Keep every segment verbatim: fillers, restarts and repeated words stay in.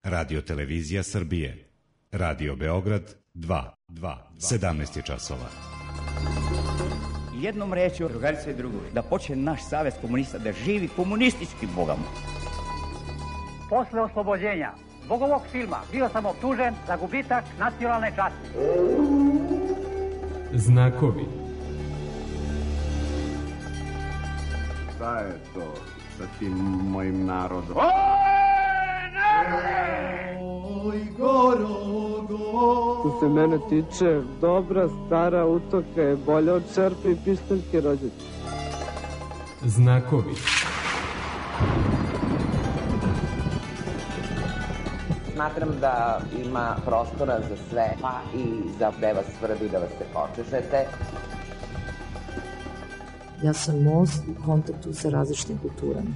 Radio Televizija Srbije. Radio Beograd dva, dva, sedamnaest je časova. Jednom rečju, drugarice i drugovi, da počne naš savez komunista da živi komunistički bogom. Posle oslobođenja zbog ovog filma bio sam optužen za gubitak nacionalne časti. Znakovi. Šta je to sa tim mojim narodom? Oj, Gorogo. Što se mene tiče, dobra stara utoka je bolja od čerpe i pištaljke rođačke. Znakovi. Smatram da ima prostora za sve, pa i za gde vas svrbi da vas se počešete. Ja sam most u kontaktu sa različitim kulturama.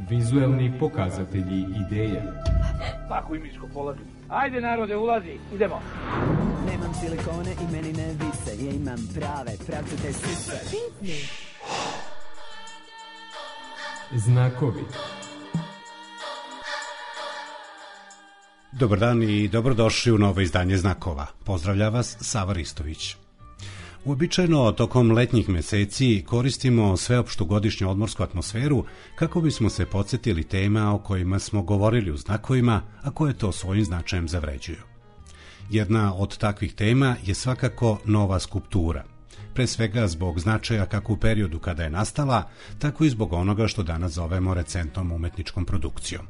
Vizuelni pokazatelji ideja. Tako imičko polazi. Ajde narode, ulazi, idemo. Nemam silikone i meni ne vise, ja imam prave, pravcate sise. Znakovi. Dobar dan i dobrodošli u novo izdanje Znakova. Pozdravlja vas Sava Ristović. Uobičajeno tokom letnjih meseci koristimo sveopštu godišnju odmorsku atmosferu kako bismo se podsjetili tema o kojima smo govorili u znakovima, a koje to svojim značajem zavređuju. Jedna od takvih tema je svakako nova skulptura, pre svega zbog značaja kako u periodu kada je nastala, tako i zbog onoga što danas zovemo recentnom umetničkom produkcijom.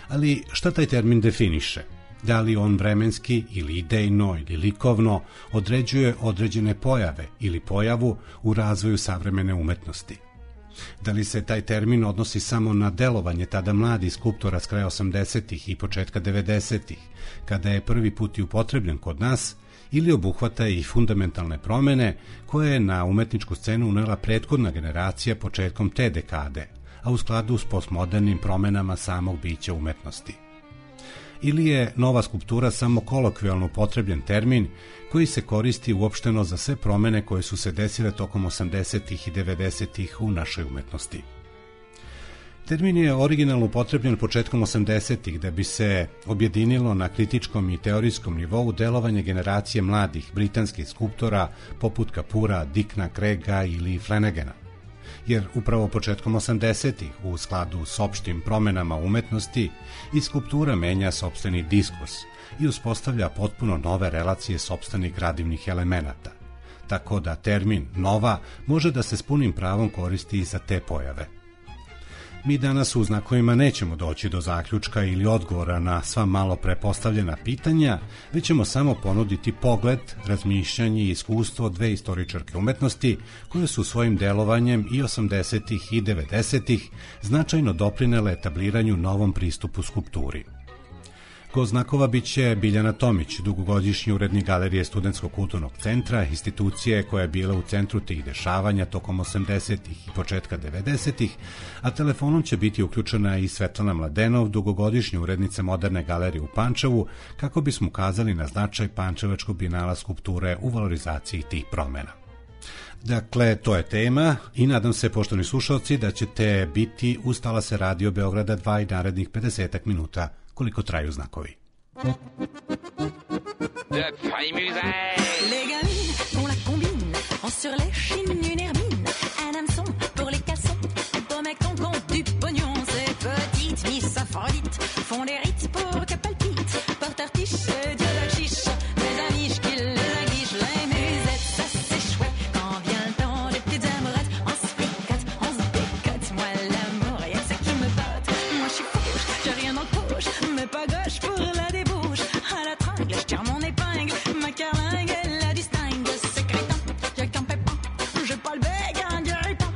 Ali šta taj termin definiše? Da li on vremenski ili idejno ili likovno određuje određene pojave ili pojavu u razvoju savremene umetnosti? Da li se taj termin odnosi samo na delovanje tada mladih skulptora s kraja osamdesetih i početka devedesetih, kada je prvi put i upotrebljen kod nas, ili obuhvata i fundamentalne promene koje je na umetničku scenu unela prethodna generacija početkom te dekade, a u skladu s postmodernim promenama samog bića umetnosti? Ili je nova skulptura samo kolokvijalno upotrebljen termin koji se koristi uopšteno za sve promene koje su se desile tokom osamdesetih i devedesetih u našoj umetnosti? Termin je originalno upotrebljen početkom osamdesetih da bi se objedinilo na kritičkom i teorijskom nivou delovanje generacije mladih britanskih skulptora poput Kapura, Dickna, Craiga ili Flanagana. Jer upravo početkom osamdesetih, u skladu s opštim promenama umetnosti, i skulptura menja sopstveni diskurs i uspostavlja potpuno nove relacije sopstvenih gradivnih elemenata, tako da termin nova može da se s punim pravom koristi i za te pojave. Mi danas u znakovima nećemo doći do zaključka ili odgovora na sva malo prepostavljena pitanja, već ćemo samo ponuditi pogled, razmišljanje i iskustvo dve istoričarke umetnosti koje su svojim delovanjem i osamdesetih i devedesetih značajno doprinele etabliranju novom pristupu skulpturi. Gost Znakova biće Biljana Tomić, dugogodišnji urednik Galerije Studentskog kulturnog centra, institucije koja je bila u centru tih dešavanja tokom osamdesetih i početka devedesetih, a telefonom će biti uključena i Svetlana Mladenov, dugogodišnja urednica Moderne galerije u Pančevu, kako bismo ukazali na značaj Pančevačkog bijenala skulpture u valorizaciji tih promena. Dakle, to je tema i nadam se, poštovani slušalci, da ćete biti uz talase Radio Beograda dva i narednih pedesetak minuta koliko traju znakovi. Les gamines font la combine, ont sur les chines une hermine, un hameçon pour les cassons, beau mec ton compte du pognon, ces petites miss Aphrodite font des rites pour que palpite, porte artiche, Dieu la chiche, mes amis j'kill les aguiches, les musettes, ça c'est chouette, quand vient le temps des petites amourettes, on se fricote, on se bécote, moi l'amour, y'a que ça qui me botte, moi je suis fauche, j'ai rien dans le poche, mais pas gauche pour la débauche, à la tringle, je tire mon épingle, ma carlingue, elle la distingue, c'est crétin, y'a qu'un pépin, j'ai pas le bec, un guéripin,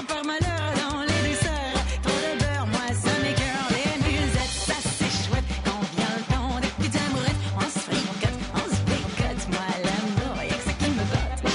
par malheur dans les douceurs, trop de beurre, moi ça m'écœure, les musettes, ça c'est chouette, quand vient le temps des petites amourettes, on se fricote, on se bécote, moi l'amour, y'a que ça qui me botte.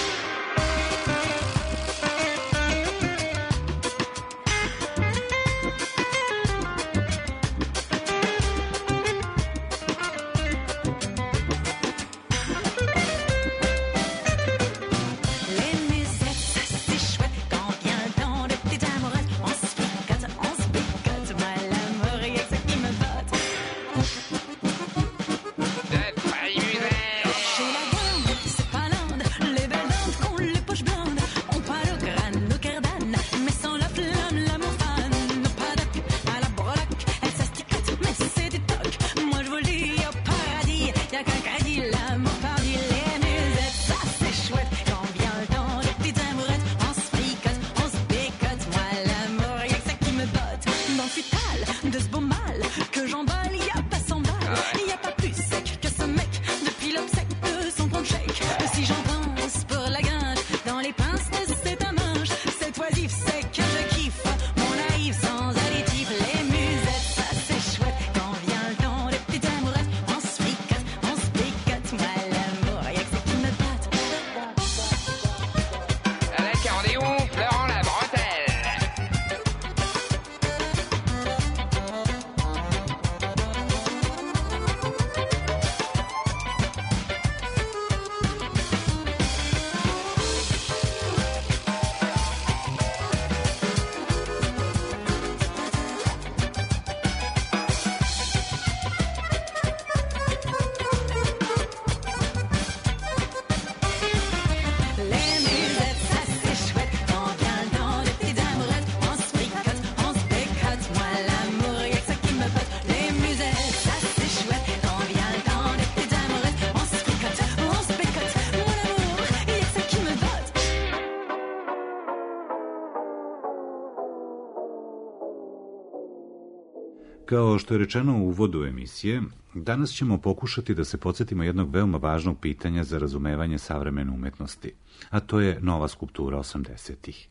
Kao što je rečeno u uvodu emisije, danas ćemo pokušati da se podsjetimo jednog veoma važnog pitanja za razumevanje savremene umetnosti, a to je nova skulptura osamdesetih.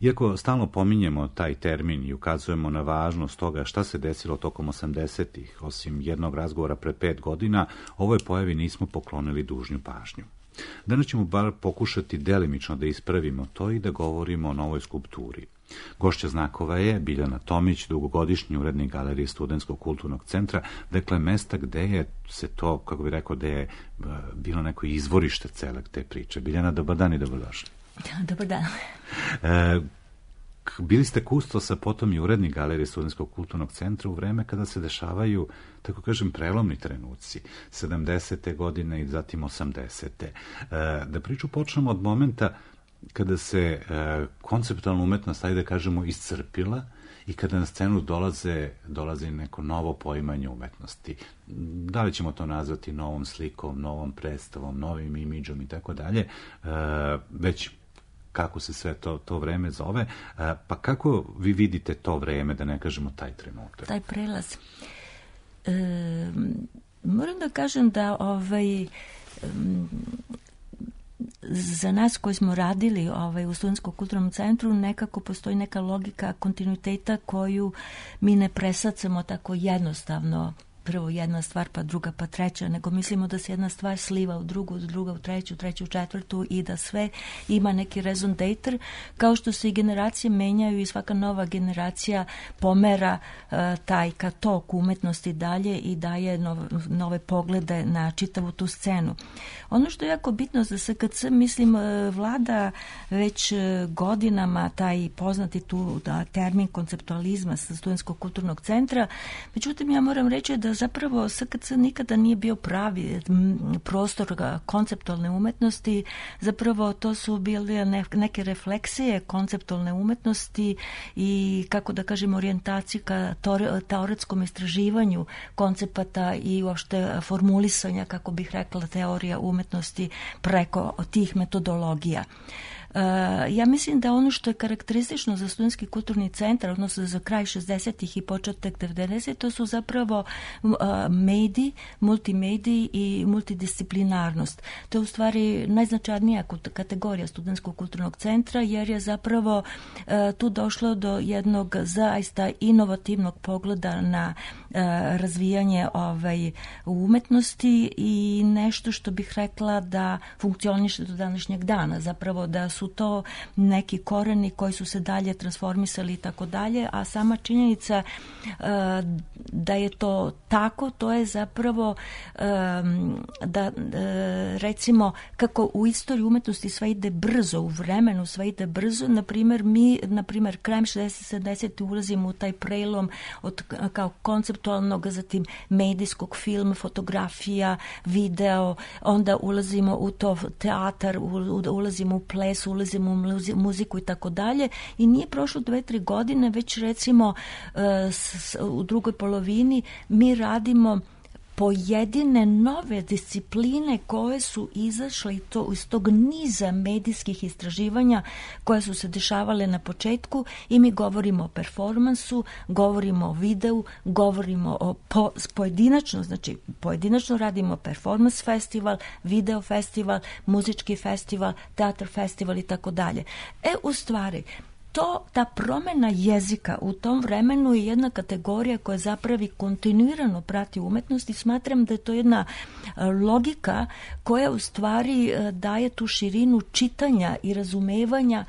Iako stalno pominjemo taj termin i ukazujemo na važnost toga šta se desilo tokom osamdesetih, osim jednog razgovora pre pet godina, ovoj pojavi nismo poklonili dužnju pažnju. Danas ćemo bar pokušati delimično da ispravimo to i da govorimo o novoj skulpturi. Gošća znakova je Biljana Tomić, dugogodišnji urednik Galerije Studentskog kulturnog centra, dakle mesta gde je se to, kako bih rekao, gde je bilo neko izvorište cele te priče. Biljana, dobar dan i dobrodošli. Dobar dan. E, bili ste kustos, a potom i urednik Galerije Studentskog kulturnog centra u vreme kada se dešavaju, tako kažem, prelomni trenuci, sedamdesete godine i zatim osamdesete. E, da priču počnemo od momenta kada se e, konceptualna umetnost, ajde da kažemo, iscrpila i kada na scenu dolaze, dolazi neko novo poimanje umetnosti. Da li ćemo to nazvati novom slikom, novom predstavom, novim imidžom i tako dalje, već kako se sve to, to vreme zove. E, pa kako vi vidite to vreme, da ne kažemo taj trenutak? Taj prelaz. E, moram da kažem da ovaj... Um, za nas koji smo radili ovaj, u Studentskom kulturnom centru nekako postoji neka logika kontinuiteta koju mi ne presacamo tako jednostavno, prvo jedna stvar pa druga pa treća, nego mislimo da se jedna stvar sliva u drugu, druga u treću, treću u četvrtu i da sve ima neki raison d'etre, kao što se i generacije menjaju i svaka nova generacija pomera uh, taj katok umetnosti dalje i daje nove, nove poglede na čitavu tu scenu. Ono što je jako bitno za S K C, mislim, vlada već godinama taj poznati tu da, termin konceptualizma sa Studentskog kulturnog centra, međutim ja moram reći da zapravo S K C nikada nije bio pravi prostor konceptualne umetnosti, zapravo to su bile neke refleksije konceptualne umetnosti i, kako da kažem, orijentaciju ka teoretskom istraživanju koncepata i uopšte formulisanja, kako bih rekla, teorija umetnosti preko tih metodologija. Uh, ja mislim da ono što je karakteristično za Studentski kulturni centar, odnosno za kraj šezdesetih i početak devedesetih, to su zapravo uh, mediji, multimediji i multidisciplinarnost. To je u stvari najznačajnija kategorija Studentskog kulturnog centra, jer je zapravo uh, tu došlo do jednog zaista inovativnog pogleda na uh, razvijanje ovaj, umetnosti i nešto što bih rekla da funkcioniše do današnjeg dana, zapravo da su to neki koreni koji su se dalje transformisali i tako dalje, a sama činjenica uh, da je to tako, to je zapravo um, da uh, recimo kako u istoriji umetnosti sve ide brzo, u vremenu sve ide brzo, na primjer mi, na primjer krajem šezdesetih sedamdesetih ulazimo u taj prelom od kao konceptualnog, zatim medijskog, film, fotografija, video, onda ulazimo u to teatar, ulazimo u ples, ulazimo u muziku i tako dalje, i nije prošlo dve, tri godine, već recimo u drugoj polovini mi radimo pojedine nove discipline koje su izašle i to iz tog niza medijskih istraživanja koje su se dešavale na početku, i mi govorimo o performansu, govorimo o videu, govorimo o po, pojedinačno, znači pojedinačno radimo performans festival, video festival, muzički festival, teatr festival i tako dalje. E, u stvari, To, ta promjena jezika u tom vremenu je jedna kategorija koja zapravo kontinuirano prati umetnost i smatram da je to jedna logika koja u stvari daje tu širinu čitanja i razumevanja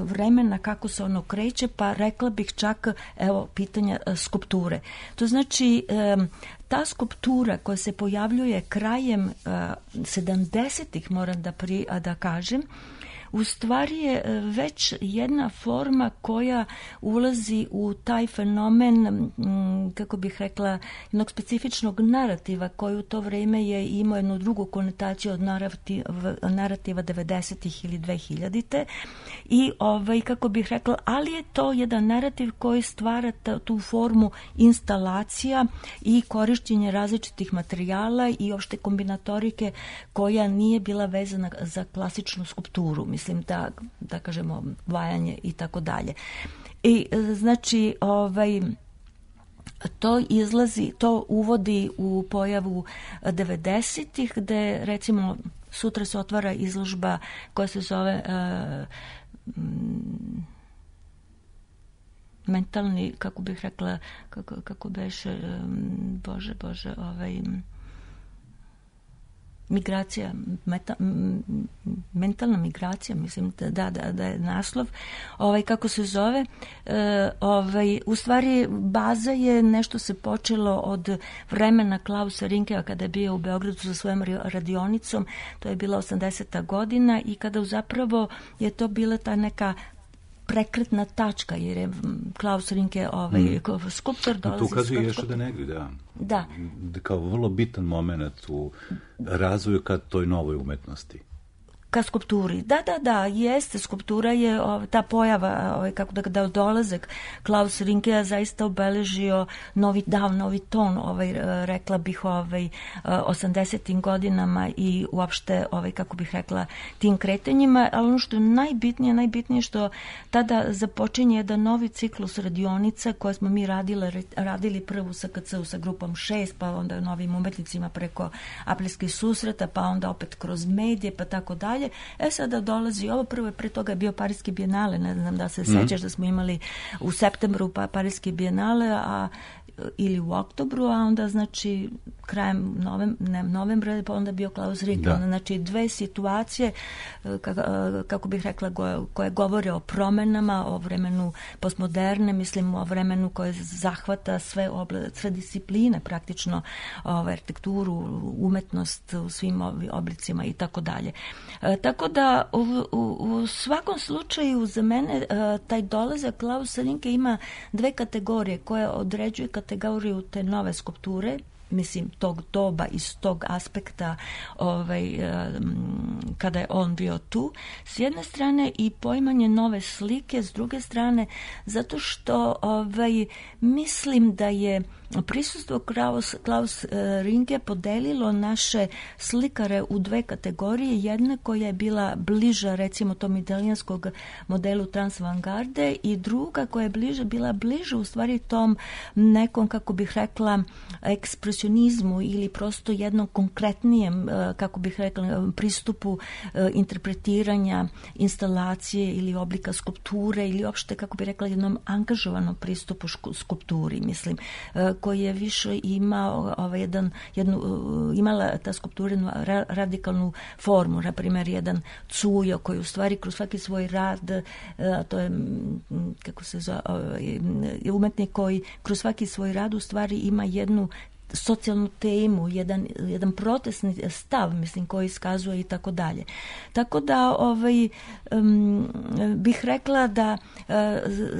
vremena kako se ono kreće, pa rekla bih čak evo pitanja skulpture. To znači ta skulptura koja se pojavljuje krajem sedamdesetih, moram da, pri, da kažem, u stvari je već jedna forma koja ulazi u taj fenomen, kako bih rekla, jednog specifičnog narativa koji u to vrijeme je imao jednu drugu konotaciju od narativa, narativa devedesetih ili dvehiljadite. I ovaj, kako bih rekla, ali je to jedan narativ koji stvara tu formu instalacija i korišćenje različitih materijala i opšte kombinatorike koja nije bila vezana za klasičnu skulpturu. Mislim da, da kažemo, vajanje i tako dalje. I znači, ovaj, to izlazi, to uvodi u pojavu devedesetih, gde recimo sutra se otvara izložba koja se zove uh, mentalni, kako bih rekla, kako, kako beše, um, bože, bože, ovaj... migracija, meta, mentalna migracija, mislim da, da, da je naslov, ovaj, kako se zove, e, ovaj, u stvari baza je nešto se počelo od vremena Klausa Rinkea kada je bio u Beogradu sa svojom radionicom, to je bila osamdeseta godina i kada zapravo je to bila ta neka prekretna tačka, jer je Klaus Rinke ovaj, mm. skulptor dolazi... To ukazuje još da negdje, da. Da. Kao vrlo bitan moment u razvoju ka toj novoj umetnosti. Ka skulpturi. Da, da, da, jeste, skulptura je ov, ta pojava, ovaj, kako da, da dolazak Klaus Rinkea zaista obeležio novi dav, novi ton, ovaj, rekla bih, ovaj, osamdesetim godinama i uopšte, ovaj, kako bih rekla, tim kretanjima, ali ono što je najbitnije, najbitnije što tada započinje jedan novi ciklus radionica koje smo mi radile, radili prvu sa K C-u sa grupom šest, pa onda novim umetnicima preko aprilskih susreta, pa onda opet kroz medije, pa tako dalje. E sada dolazi ovo, prvo je pre toga je bio Pariski bijenale, ne znam da se mm. sećaš da smo imali u septembru pa Pariski bijenale, a ili u oktobru, a onda znači krajem novem, ne, novembra pa onda bio Klaus Rinke. Da. Znači dve situacije kako, kako bih rekla koje, koje govore o promenama, o vremenu postmoderne, mislim o vremenu koje zahvata sve, obla, sve discipline praktično, ovaj, arhitekturu, umetnost u svim oblicima i tako dalje. Tako da u, u, u svakom slučaju za mene taj dolazak Klausa Rinke ima dve kategorije koje određuju kategoriju te nove skulpture, mislim tog doba iz tog aspekta ovaj, kada je on bio tu s jedne strane i poimanje nove slike s druge strane, zato što ovaj, mislim da je prisustvo Klaus, Klaus Rinke podelilo naše slikare u dve kategorije. Jedna koja je bila bliža recimo tom italijanskog modelu transvangarde i druga koja je bliža, bila bliža u stvari tom nekom, kako bih rekla, ekspresionizmu ili prosto jednom konkretnijem, kako bih rekla, pristupu interpretiranja instalacije ili oblika skulpture ili uopšte, kako bih rekla, jednom angažovanom pristupu skulpturi, mislim, koji je više imao ovaj, jedan, jednu, imala ta skulptura ra, radikalnu formu, na primjer jedan Cujo koji u stvari kroz svaki svoj rad, to je, kako se zove, umetnik koji kroz svaki svoj rad u stvari ima jednu socijalnu temu, jedan, jedan protestni stav, mislim, koji iskazuje i tako dalje. Tako da ovaj, um, bih rekla da uh,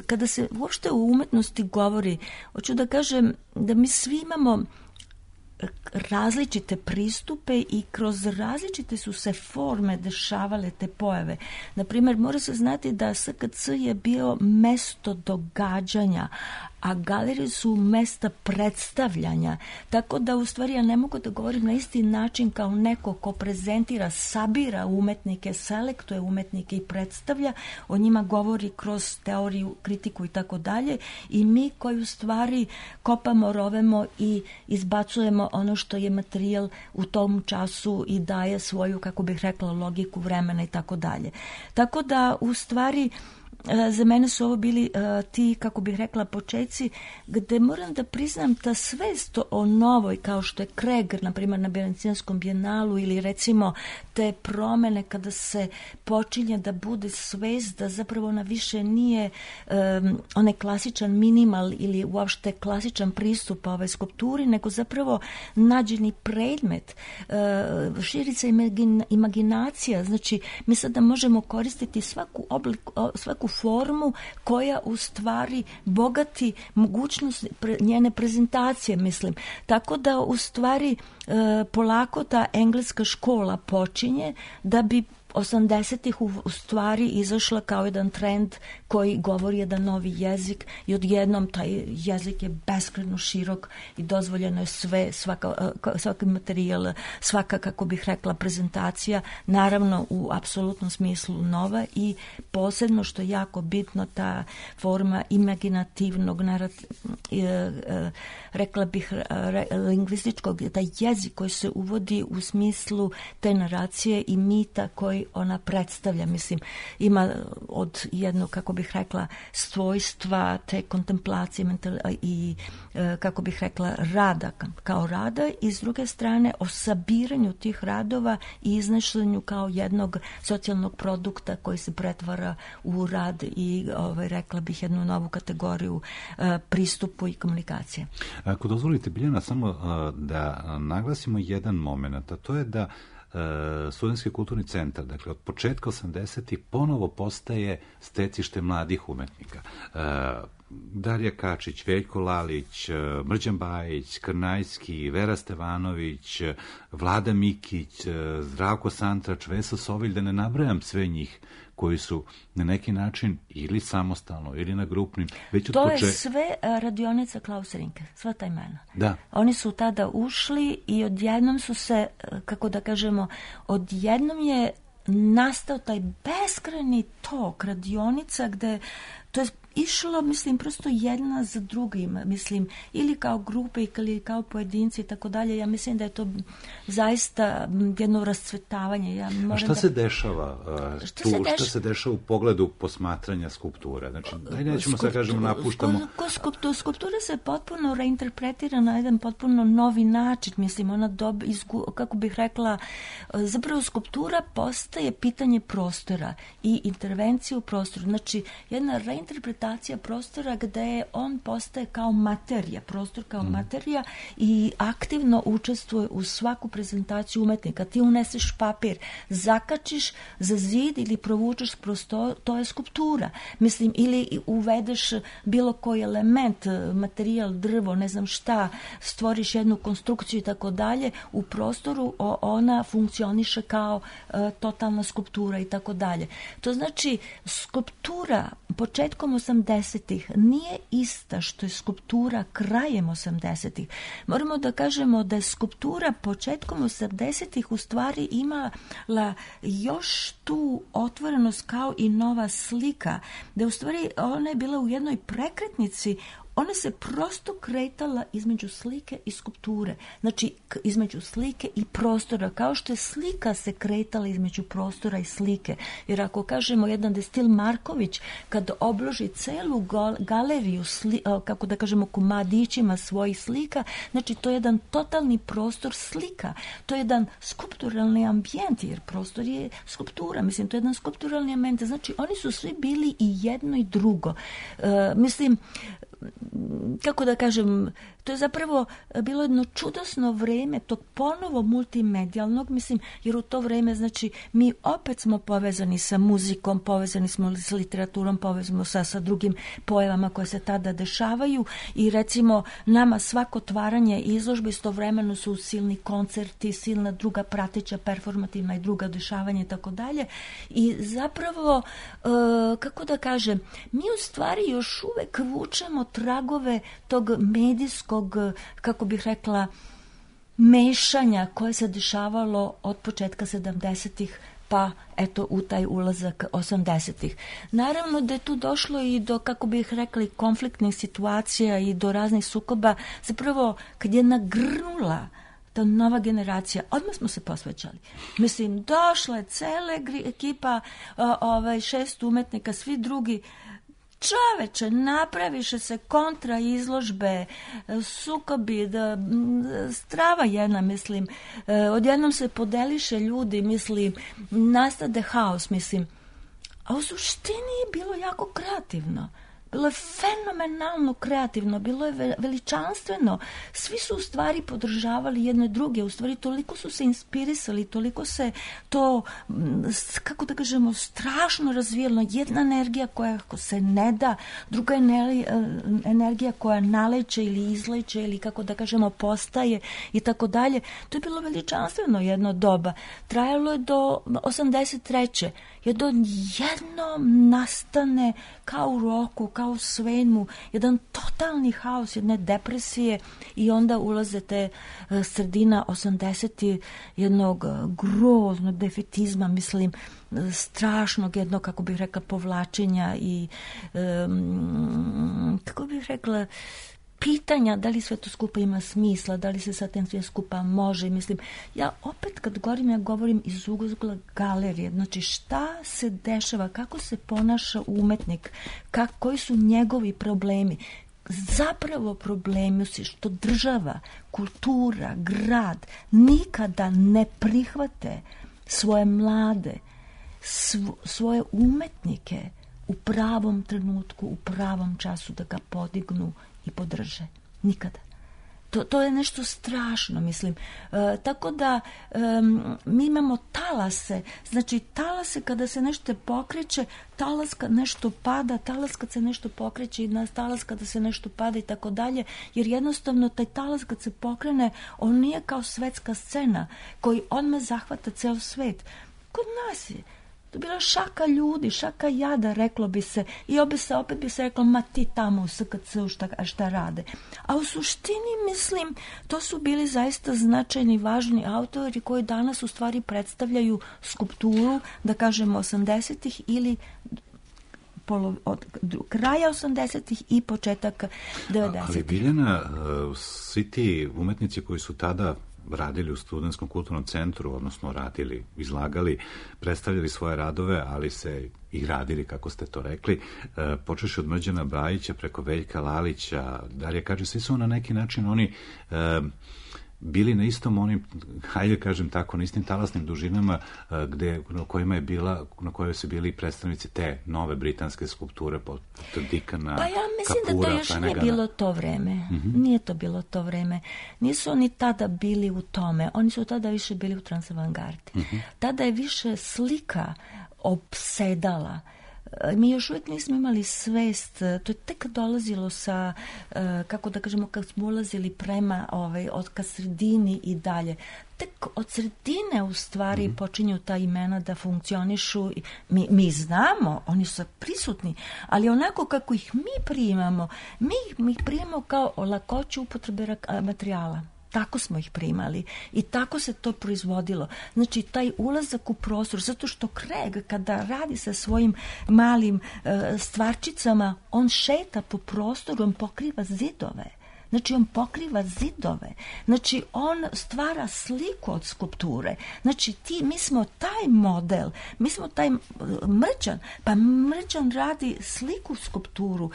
kada se uopšte u umetnosti govori, hoću da kažem da mi svi imamo različite pristupe i kroz različite su se forme dešavale te pojave. Naprimjer, mora se znati da S K C je bio mesto događanja, a galerije su mesta predstavljanja. Tako da u stvari ja ne mogu da govorim na isti način kao neko ko prezentira, sabira umetnike, selektuje umetnike i predstavlja, o njima govori kroz teoriju, kritiku i tako dalje, i mi koji u stvari kopamo, rovemo i izbacujemo ono što je materijal u tom času i daje svoju, kako bih rekla, logiku vremena i tako dalje. Tako da u stvari za mene su ovo bili uh, ti, kako bih rekla, počeci gde moram da priznam ta svest o novoj, kao što je Kreger, na primjer na Venecijanskom bijenalu, ili recimo te promene kada se počinje da bude svest da zapravo ona više nije um, onaj klasičan minimal ili uopšte klasičan pristup ove skulpturi, nego zapravo nađeni predmet, uh, širi se imagin, imaginacija, znači mi sada možemo koristiti svaku oblik, svaku formu koja u stvari bogati mogućnost pre, njene prezentacije, mislim. Tako da u stvari e, polako ta engleska škola počinje da bi osamdesetih u, u stvari izašla kao jedan trend koji govori jedan novi jezik i odjednom taj jezik je beskrajno širok i dozvoljeno je sve, svaka, svaki materijal, svaka, kako bih rekla, prezentacija, naravno u apsolutnom smislu nova i posebno što je jako bitno ta forma imaginativnog narat, rekla bih lingvističkog, taj jezik koji se uvodi u smislu te naracije i mita koji ona predstavlja. Mislim, ima od jednog, kako bih rekla, svojstva te kontemplacije mental, i, kako bih rekla, rada kao rada i s druge strane o sabiranju tih radova i iznošenju kao jednog socijalnog produkta koji se pretvara u rad i, ovaj, rekla bih, jednu novu kategoriju pristupu i komunikacije. Ako dozvolite, Biljana, samo da naglasimo jedan moment, a to je da Studentski kulturni centar, dakle od početka osamdesetih ponovo postaje stecište mladih umetnika. Darija Kačić, Veljko Lalić, Mrđan Bajić, Krnajski, Vera Stevanović, Vlada Mikić, Zdravko Santrač, Vesa Sovilj, da ne nabrajam sve njih koji su na neki način ili samostalno ili na grupnim. Već to poče... je sve radionica Klausa Rinke, sva ta imena. Da. Oni su tada ušli i odjednom su se, kako da kažemo, odjednom je nastao taj beskrajni tok radionica gde to je išlo, mislim, prosto jedna za drugim, mislim, ili kao grupe ili kao pojedinci i tako dalje. Ja mislim da je to zaista jedno rascvetavanje. Ja moram A šta da... se dešava uh, šta tu? Se deš... Šta se dešava u pogledu posmatranja skulpture? Znači, daj nećemo sad kažemo napuštamo... Skulptura, skulptura se potpuno reinterpretira na jedan potpuno novi način. Mislim, ona dob... izgu... kako bih rekla, zapravo skulptura postaje pitanje prostora i intervencije u prostoru. Znači, jedna reinterpretacija prostora gde on postaje kao materija, prostor kao mm. materija i aktivno učestvuje u svaku prezentaciju umetnika. Ti uneseš papir, zakačiš za zid ili provučeš prostor, to je skulptura. Mislim, ili uvedeš bilo koji element, materijal, drvo, ne znam šta, stvoriš jednu konstrukciju i tako dalje, u prostoru ona funkcioniše kao uh, totalna skulptura i tako dalje. To znači, skulptura početkom osamdesetih nije ista što je skulptura krajem osamdesetih. Moramo da kažemo da je skulptura početkom osamdesetih u stvari imala još tu otvorenost kao i nova slika, da u stvari ona je bila u jednoj prekretnici. Ona se prosto kretala između slike i skulpture, znači između slike i prostora, kao što je slika se kretala između prostora i slike. Jer ako kažemo jedan Destil Marković, kad obloži celu galeriju, sli, kako da kažemo, komadićima svojih slika, znači to je jedan totalni prostor slika, to je jedan skulpturalni ambijent, jer prostor je skulptura, mislim, to je jedan skulpturalni ambijent, znači oni su svi bili i jedno i drugo. Uh, mislim, kako da kažem, to je zapravo bilo jedno čudesno vreme tog ponovo multimedijalnog, mislim, jer u to vreme, znači, mi opet smo povezani sa muzikom, povezani smo sa literaturom, povezani sa, sa drugim pojavama koje se tada dešavaju i recimo nama svako otvaranje izložbe istovremeno su silni koncerti, silna druga prateća, performativna i druga dešavanja i tako dalje. I zapravo, e, kako da kažem, mi u stvari još uvek vučemo tragove tog medijskog, kako bih rekla, mešanja koje se dešavalo od početka sedamdesetih pa eto u taj ulazak osamdesetih. Naravno da je tu došlo i do, kako bih rekli, konfliktnih situacija i do raznih sukoba. Zapravo, kad je nagrnula ta nova generacija, odmah smo se posvećali. Mislim, došla je cela ekipa, ovaj, šest umetnika, svi drugi. Čoveče, napraviše se kontra izložbe, sukobi, da, strava jedna, mislim, odjednom se podeliše ljudi, mislim, nastade haos, mislim, a u suštini je bilo jako kreativno. bilo je fenomenalno kreativno, bilo je veličanstveno. Svi su u stvari podržavali jedne druge, u stvari toliko su se inspirisali, toliko se to, kako da kažemo, strašno razvijalo. Jedna energija koja se ne da, druga energija koja naleće ili izleće ili kako da kažemo postaje i tako dalje. To je bilo veličanstveno jedno doba. Trajalo je do osamdeset treće Jednom jednom nastane kao u roku, kao u svemu, jedan totalni haos, jedne depresije i onda ulaze te sredina osamdesetih jednog groznog defetizma, mislim, strašnog jednog, kako bih rekla, povlačenja i um, kako bih rekla, pitanja da li sve to skupa ima smisla, da li se sa tem sve skupa može. Mislim, ja opet kad govorim, ja govorim iz ugla galerije. Znači, šta se dešava, kako se ponaša umetnik, kak, koji su njegovi problemi. Zapravo problemi su što država, kultura, grad nikada ne prihvate svoje mlade, svo, svoje umetnike u pravom trenutku, u pravom času da ga podignu i podrže. Nikada. To, to je nešto strašno, mislim. E, tako da e, mi imamo talase. Znači, talase kada se nešto pokreće, talas kad nešto pada, talas kad se nešto pokreće i talas kada se nešto pada i tako dalje, jer jednostavno taj talas kad se pokrene, on nije kao svetska scena koji odmah zahvata ceo svet. Kod nas je to bila šaka ljudi, šaka jada, reklo bi se. I opet, se, opet bi se reklo, ma ti tamo u S K C-u šta, šta rade. A u suštini, mislim, to su bili zaista značajni, važni autori koji danas u stvari predstavljaju skulpturu, da kažemo, osamdesetih ili polo, od kraja osamdesetih i početak devedesetih. Ali Biljana, svi ti umetnici koji su tada radili u Studentskom kulturnom centru, odnosno radili, izlagali, predstavljali svoje radove, ali se i radili, kako ste to rekli, e, počeši od Mrđana Bajića preko Veljka Lalića, Darija Kadži, svi su na neki način oni e, bili na istom onim, hajde kažem tako, na istim talasnim dužinama gde, na kojima je bila, na kojoj su bili predstavnici te nove britanske skulpture pod Dikana, Pa ja mislim Kapura, da to još Flanagana. nije bilo to vreme. Mm-hmm. Nije to bilo to vreme. Nisu oni tada bili u tome. Oni su tada više bili u transavangardi. Mm-hmm. Tada je više slika opsedala. Mi još uvijek nismo imali svest, to je tek dolazilo sa, kako da kažemo, kad smo ulazili prema ovaj, od ka sredini i dalje. Tek od sredine u stvari mm-hmm. počinju ta imena da funkcionišu. Mi, mi znamo, oni su prisutni, ali onako kako ih mi primamo, mi, mi ih primamo kao lakoću upotrebe materijala. Tako smo ih primali i tako se to proizvodilo. Znači, taj ulazak u prostor, zato što Kreg, kada radi sa svojim malim e, stvarčicama, on šeta po prostoru, on pokriva zidove. Znači, on pokriva zidove. Znači, on stvara sliku od skulpture. Znači, ti, mi smo taj model, mi smo taj Mrđan, pa Mrđan radi sliku skulpturu,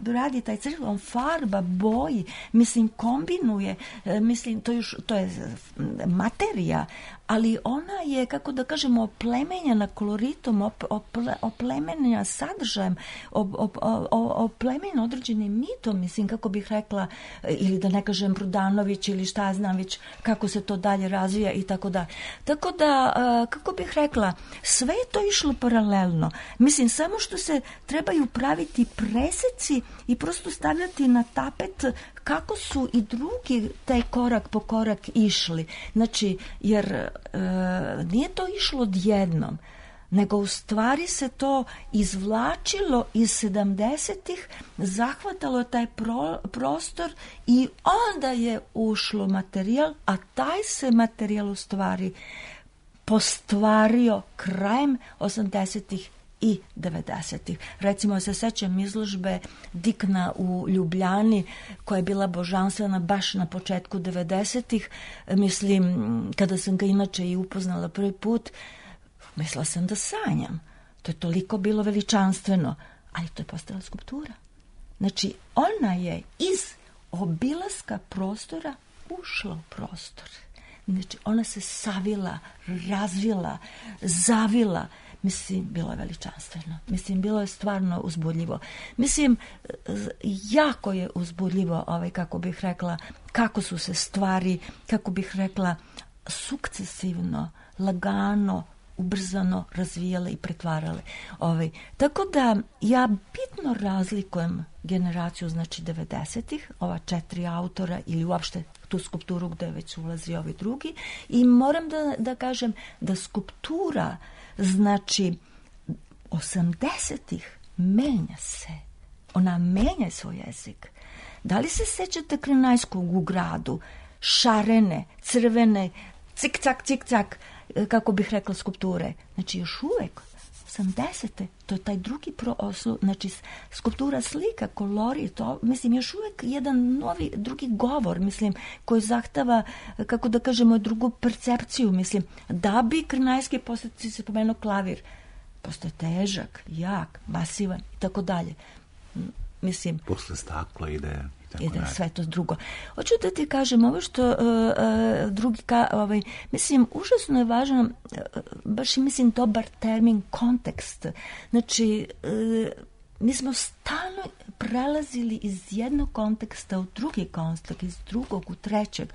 radi taj crk, on farba, boji, mislim, kombinuje, mislim, to, još, to je materija, ali ona je, kako da kažemo, oplemenjena koloritom, op, ople, oplemenjena sadržajem, op, op, op, oplemenjena određenim mitom, mislim, kako bih rekla, ili da ne kažem Brudanović ili šta znam već kako se to dalje razvija i tako da. Tako da, kako bih rekla, sve je to išlo paralelno. Mislim, samo što se trebaju praviti preseci i prosto stavljati na tapet kako su i drugi taj korak po korak išli. Znači, jer e, nije to išlo odjednom, nego u stvari se to izvlačilo iz sedamdesetih, zahvatalo taj pro, prostor i onda je ušlo materijal, a taj se materijal u stvari postvario krajem osamdesetih i devedesetih. Recimo, se sećam izložbe Dikna u Ljubljani, koja je bila božanstvena baš na početku devedesetih. Mislim, kada sam ga inače i upoznala prvi put, mislila sam da sanjam. To je toliko bilo veličanstveno, ali to je postala skulptura. Znači, ona je iz obilaska prostora ušla u prostor. Znači, ona se savila, razvila, zavila. Mislim, bilo je veličanstveno. Mislim, bilo je stvarno uzbudljivo. Mislim, jako je uzbudljivo, ovaj, kako bih rekla, kako su se stvari, kako bih rekla, sukcesivno, lagano, ubrzano razvijale i pretvarale. Ovaj. Tako da ja bitno razlikujem generaciju, znači devedesetih, ova četiri autora ili uopšte tu skulpturu gde već ulazi ovi drugi, i moram da, da kažem da skulptura, znači osamdesetih menja se. Ona menja svoj jezik. Da li se sećate Krenajskog u gradu? Šarene, crvene, cik-cak, cik-cak, kako bih rekla, skulpture. Znači, još uvek, osamdesete, to je taj drugi proslu, znači, skulptura, slika, kolori, to, mislim, još uvek jedan novi, drugi govor, mislim, koji zahteva, kako da kažemo, drugu percepciju, mislim, da bi Krenajski, posle se pomenuo klavir, postoje težak, jak, masivan i tako dalje. Mislim, posle stakla ide i da je sve to drugo. Hoću da ti kažem ovo što uh, uh, drugi ka, ovaj, mislim, užasno je važno, uh, baš i mislim dobar termin, kontekst. Znači, uh, mi smo stalno prelazili iz jednog konteksta u drugi kontekst, iz drugog u trećeg.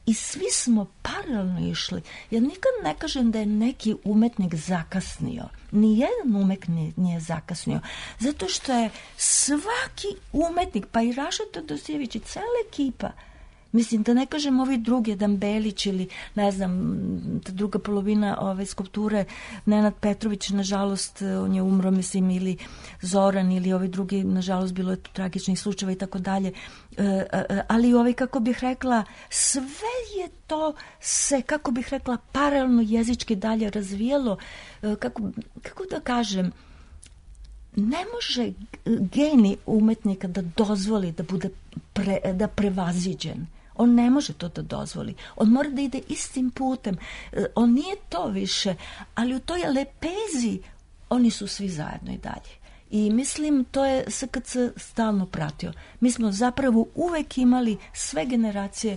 I svi smo paralelno išli. Ja nikad ne kažem da je neki umetnik zakasnio. Nijedan umetnik nije zakasnio. Zato što je svaki umetnik, pa i Raša Todosijević i cela ekipa, mislim, da ne kažem ovi drugi, Dan Belić ili, ne znam, ta druga polovina ove skulpture, Nenad Petrović, nažalost, on je umro, mislim, ili Zoran, ili ovi drugi, nažalost, bilo je tu tragičnih slučajeva i tako dalje. Ali, ovaj, kako bih rekla, sve je to se, kako bih rekla, paralelno jezički dalje razvijelo. Kako, kako da kažem, ne može genij umetnika da dozvoli da bude pre, da prevaziđen. On ne može to da dozvoli. On mora da ide istim putem. On nije to više, ali u toj lepezi oni su svi zajedno i dalje. I mislim, to je S K C stalno pratio. Mi smo zapravo uvek imali sve generacije,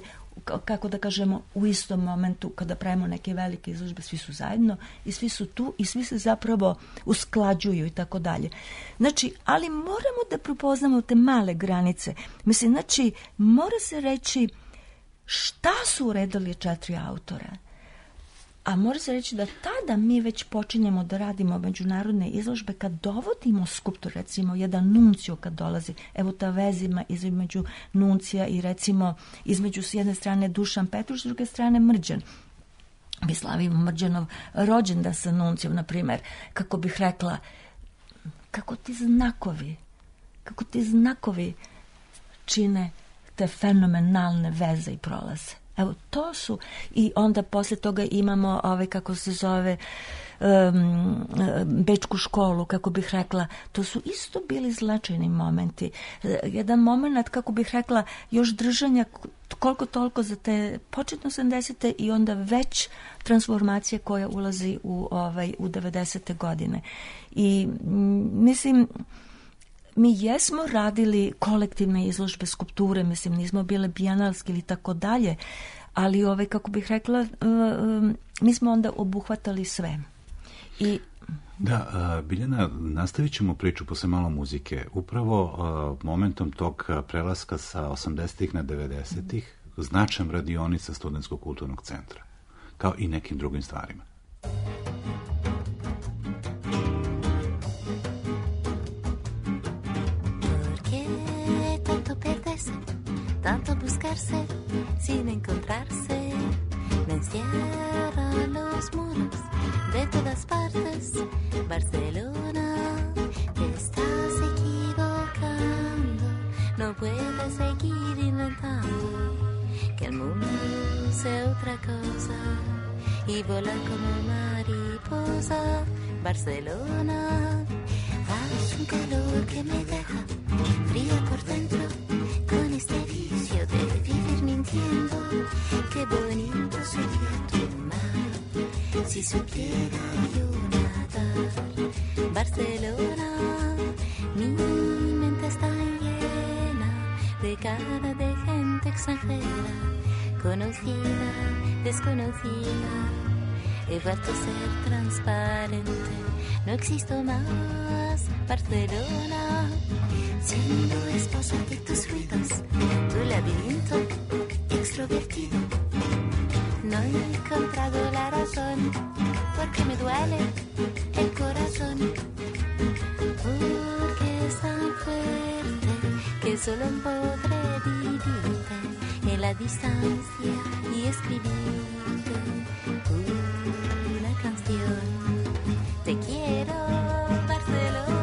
kako da kažemo, u istom momentu kada pravimo neke velike izložbe, svi su zajedno i svi su tu i svi se zapravo usklađuju i tako dalje. Znači, ali moramo da prepoznamo te male granice. Mislim, znači, mora se reći šta su uredili četiri autora. A mora se reći da tada mi već počinjemo da radimo međunarodne izložbe kad dovodimo skulptor, recimo jedan Nuncio kad dolazi, evo ta vezima između Nuncija i recimo između s jedne strane Dušan Petruš, s druge strane Mrđan. Mi slavimo Mrđanov rođendan sa Nuncijom, na primjer, kako bih rekla, kako ti znakovi, kako ti znakovi čine te fenomenalne veze i prolaze. Evo, to su, i onda posle toga imamo, ovaj, kako se zove, um, Bečku školu, kako bih rekla, to su isto bili značajni momenti. Jedan moment, kako bih rekla, još držanja koliko toliko za te početno osamdesete i onda već transformacije koja ulazi u, ovaj, u devedesete godine. I mislim, mi jesmo radili kolektivne izložbe skulpture, mislim, nismo bile bijenalski ili tako dalje, ali ove, kako bih rekla, uh, um, mi smo onda obuhvatali sve. I Da, uh, Biljana, nastavit ćemo priču posle malo muzike. Upravo uh, momentom tog prelaska sa osamdesetih na devedesetih značajna radionica Studentskog kulturnog centra, kao i nekim drugim stvarima. Tanto buscarse sin encontrarse, me encierran los muros de todas partes. Barcelona, te estás equivocando, no puedes seguir inventando que el mundo sea otra cosa y volar como mariposa. Barcelona, hay un calor que me deja fría por dentro. Con este vicio de vivir mintiendo, qué bonito sería tu mar, si supiera yo nadar. Barcelona, mi mente está llena de cara de gente extranjera, conocida, desconocida. he vuelto a ser transparente. No existo más, Barcelona, siendo esposa de tus ruidos, tu laberinto extrovertido. No he encontrado la razón, porque me duele el corazón, porque es tan fuerte que solo podré vivirte en la distancia y escribirte una canción. Te quiero, Barcelona.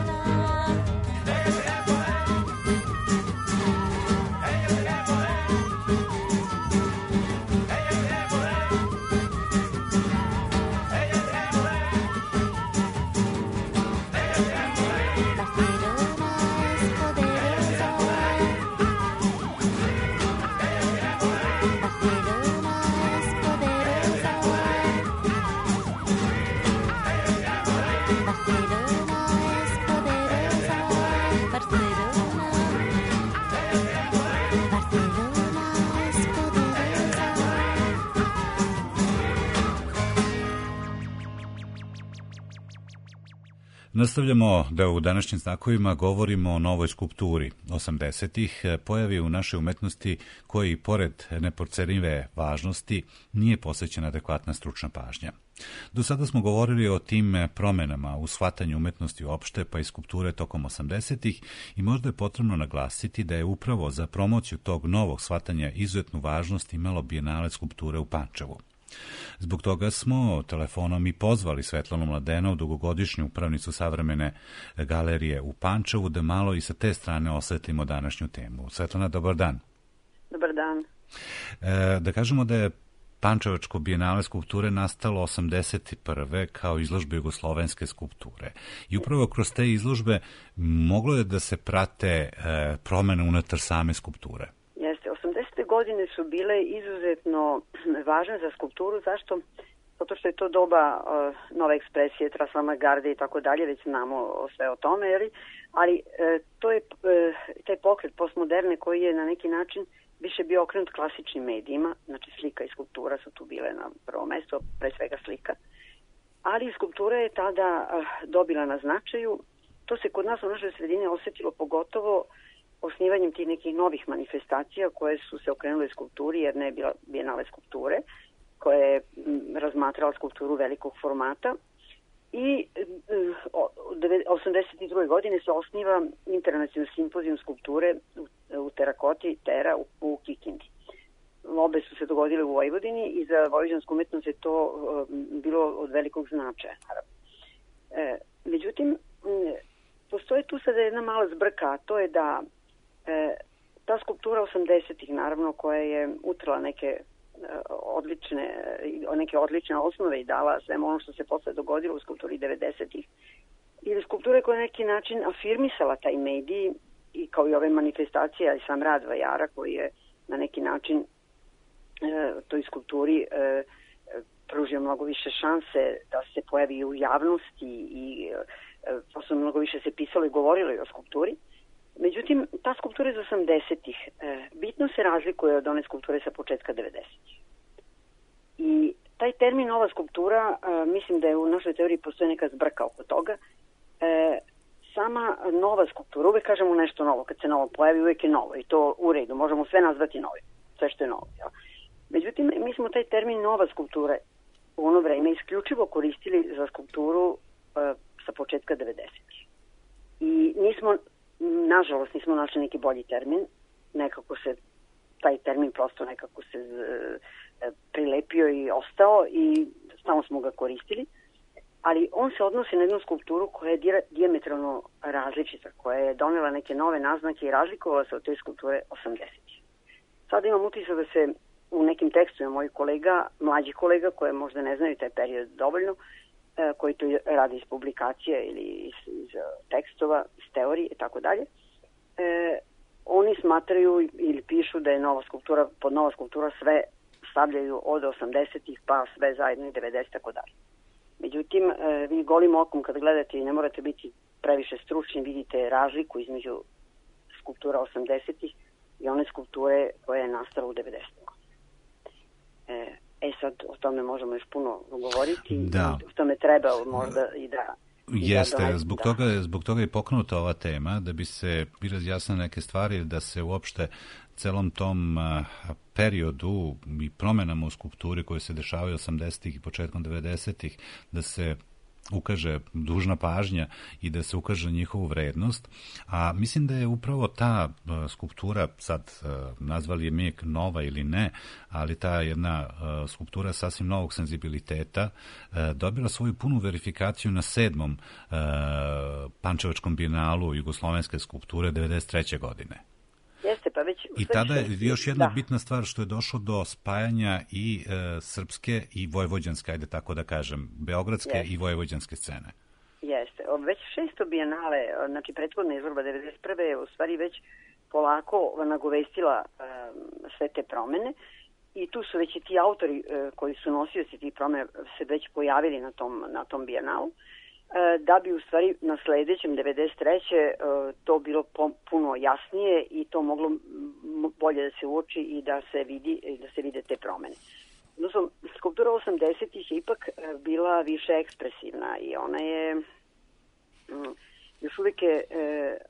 Nastavljamo da u današnjim znakovima govorimo o novoj skulpturi osamdesetih, pojavi u našoj umetnosti koji, pored neprocenjive važnosti, nije posvećena adekvatna stručna pažnja. Do sada smo govorili o tim promenama u shvatanju umetnosti uopšte, pa i skulpture tokom osamdesetih, i možda je potrebno naglasiti da je upravo za promociju tog novog shvatanja izuzetnu važnost imalo Bijenale skulpture u Pančevu. Zbog toga smo telefonom i pozvali Svetlanu Mladenovu, dugogodišnju upravnicu Savremene galerije u Pančevu, da malo i sa te strane osvetlimo današnju temu. Svetlana, dobar dan. Dobar dan. E, da kažemo da je Pančevačko Bijenale skulpture nastalo osamdeset prve kao izložbe jugoslovenske skulpture. I upravo kroz te izložbe moglo je da se prate e, promene unutar same skulpture. Jeste, osamdesete godine su bile izuzetno važne za skulpturu. Zašto? Zato što je to doba uh, nove ekspresije, transavantgarde i tako dalje, već znamo sve o tome, jeli? ali uh, to je uh, taj pokret postmoderne koji je na neki način više bio okrenut klasičnim medijima, znači slika i skulptura su tu bile na prvo mesto, pre svega slika, ali skulptura je tada uh, dobila na značaju. To se kod nas u našoj sredini osetilo pogotovo osnivanjem tih nekih novih manifestacija koje su se okrenule skulpturi, jer ne je bila Bijenale skulpture, koja je razmatrala skulpturu velikog formata. I osamdeset druge godine se osniva Internacionalni simpozijum skulpture u terakoti Tera u, u Kikindi. Obe su se dogodile u Vojvodini i za vojvođansku umetnost je to bilo od velikog značaja. E, međutim, postoji tu sada jedna mala zbrka, a to je da e, ta skulptura osamdesetih, naravno, koja je utrla neke odlične, neke odlične osnove i dala svemu ono što se posle dogodilo u skulpturi devedesetih. Ili skulpture koja je neki način afirmisala taj medij, i kao i ove manifestacije, i sam rad vajara koji je na neki način e, toj skulpturi e, pružio mnogo više šanse da se pojavi u javnosti i e, posle mnogo više se pisalo i govorilo i o skulpturi. Međutim, ta skulptura iz osamdesetih e, bitno se razlikuje od one skulpture sa početka devedesetih. I taj termin nova skulptura, e, mislim da je u našoj teoriji postoji neka zbrka oko toga. E, sama nova skulptura, uvek kažemo nešto novo, kad se novo pojavi, uvek je novo i to u redu, možemo sve nazvati novim, sve što je novo. Ja. Međutim, mi smo taj termin nova skulptura u ono vreme isključivo koristili za skulpturu e, sa početka devedesetih. I nismo, nažalost, nismo našli neki bolji termin, nekako se taj termin prosto nekako se e, prilepio i ostao i stalno smo ga koristili, ali on se odnosi na jednu skulpturu koja je dijametralno različita, koja je donela neke nove naznake i razlikovala se od te skulpture osamdesetih. Sada imam utisak da se u nekim tekstovima mojih kolega, mlađih kolega, koje možda ne znaju taj period dovoljno, e, koji to rade iz publikacije ili iz, iz tekstova, iz teorije i tako dalje, e, oni smatraju ili pišu da je nova skulptura, pod nova skulptura sve stavljaju od osamdesetih pa sve zajedno i devedesetih tako dalje. Međutim, e, vi golim okom kad gledate i ne morate biti previše stručni, vidite razliku između skulptura osamdesetih i one skulpture koja je nastala u devedesetih. E, E sad, o tome možemo još puno govoriti. Da. O tome treba možda i da... Jeste, da, zbog, da. toga, zbog toga je pokrenuta ova tema, da bi se razjasnile neke stvari, da se uopšte celom tom a, periodu i promenama u skulpturi koje se dešavaju osamdesetih i početkom devedesetih, da se ukaže dužna pažnja i da se ukaže njihovu vrednost. A mislim da je upravo ta uh, skulptura, sad uh, nazvali je mi nova ili ne, ali ta jedna uh, skulptura sasvim novog senzibiliteta uh, dobila svoju punu verifikaciju na sedmom uh, Pančevačkom bijenalu jugoslovenske skulpture devedeset treće godine. Jeste, pa već... I tada je još jedna da. bitna stvar što je došlo do spajanja i e, srpske i vojvođanske, ajde tako da kažem, beogradske Jeste. i vojvođanske scene. Jeste. Već šesto bijenale, znači prethodna izložba devedeset prve je u stvari već polako nagovestila e, sve te promene i tu su već i ti autori e, koji su nosioci tih promena se već pojavili na tom, na tom bijenalu, da bi u stvari na sledećem devedeset treće to bilo puno jasnije i to moglo bolje da se uoči i da se vidi da se vide te promene. Odnosno, skulptura osamdesetih je ipak bila više ekspresivna i ona je još uvijek je